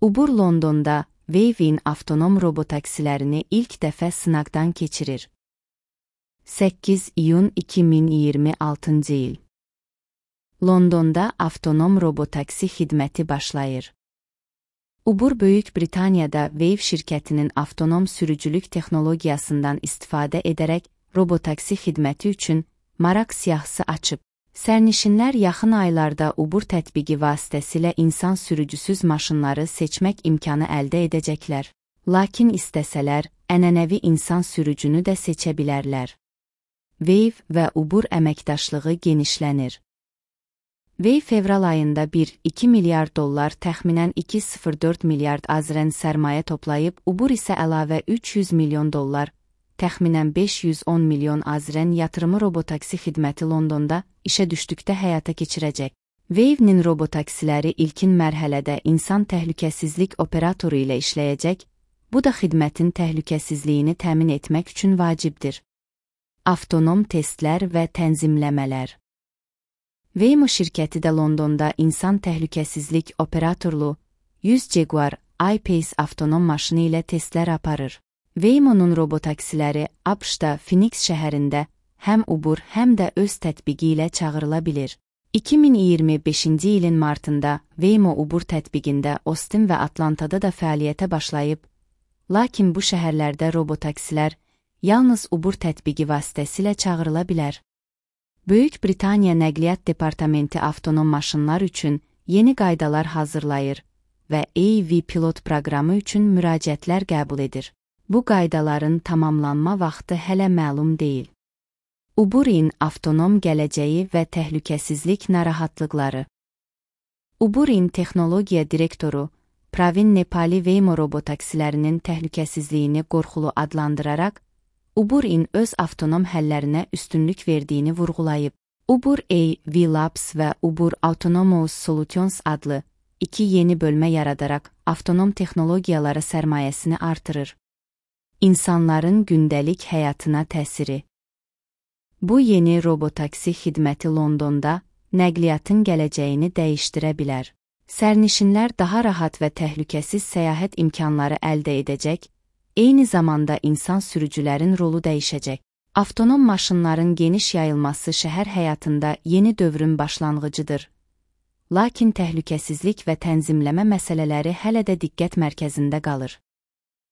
Uber Londonda Wave'in avtonom robotaksilərini ilk dəfə sınaqdan keçirir. 8 iyun 2026 il. Londonda avtonom robotaksi xidməti başlayır. Uber Böyük Britaniyada Wave şirkətinin avtonom sürücülük texnologiyasından istifadə edərək robotaksi xidməti üçün maraq siyahısı açıb. Sərnişinlər yaxın aylarda Uber tətbiqi vasitəsilə insan sürücüsüz maşınları seçmək imkanı əldə edəcəklər. Lakin istəsələr, ənənəvi insan sürücünü də seçə bilərlər. Wave və Uber əməkdaşlığı genişlənir. Wave fevral ayında 1,2 milyard dollar təxminən 2,04 milyard AZRN sərmayə toplayıb, Uber isə əlavə 300 milyon dollar, təxminən 510 milyon AZRN yatırımı robotaksi xidməti Londonda işə düşdükdə həyata keçirəcək. Wave'nin robotaksiləri ilkin mərhələdə insan təhlükəsizlik operatoru ilə işləyəcək, bu da xidmətin təhlükəsizliyini təmin etmək üçün vacibdir. Avtonom testlər və tənzimləmələr. Waymo şirkəti də Londonda insan təhlükəsizlik operatorlu 100 Jaguar I-Pace avtonom maşını ilə testlər aparır. Waymo'nun robotaksiləri ABŞ-da Phoenix şəhərində həm Uber, həm də öz tətbiqi ilə çağırıla bilir. 2025-ci ilin martında Waymo Uber tətbiqində Austin və Atlantada da fəaliyyətə başlayıb, lakin bu şəhərlərdə robotaksilər yalnız Uber tətbiqi vasitəsilə çağırıla bilər. Böyük Britaniya Nəqliyyat Departamenti avtonom maşınlar üçün yeni qaydalar hazırlayır və AV pilot proqramı üçün müraciətlər qəbul edir. Bu qaydaların tamamlanma vaxtı hələ məlum deyil. Uber'in avtonom gələcəyi və təhlükəsizlik narahatlıqları. Uber'in texnologiya direktoru Pravin Nepali Waymo robotaksilərinin təhlükəsizliyini qorxulu adlandıraraq, Uber'in öz avtonom həllərinə üstünlük verdiyini vurğulayıb. Uber AV Labs və Uber Autonomous Solutions adlı iki yeni bölmə yaradaraq avtonom texnologiyaları sərmayəsini artırır. İnsanların gündəlik həyatına təsiri. Bu yeni robotaksi xidməti Londonda nəqliyyatın gələcəyini dəyişdirə bilər. Sərnişinlər daha rahat və təhlükəsiz səyahət imkanları əldə edəcək, eyni zamanda insan sürücülərin rolu dəyişəcək. Avtonom maşınların geniş yayılması şəhər həyatında yeni dövrün başlanğıcıdır. Lakin təhlükəsizlik və tənzimləmə məsələləri hələ də diqqət mərkəzində qalır.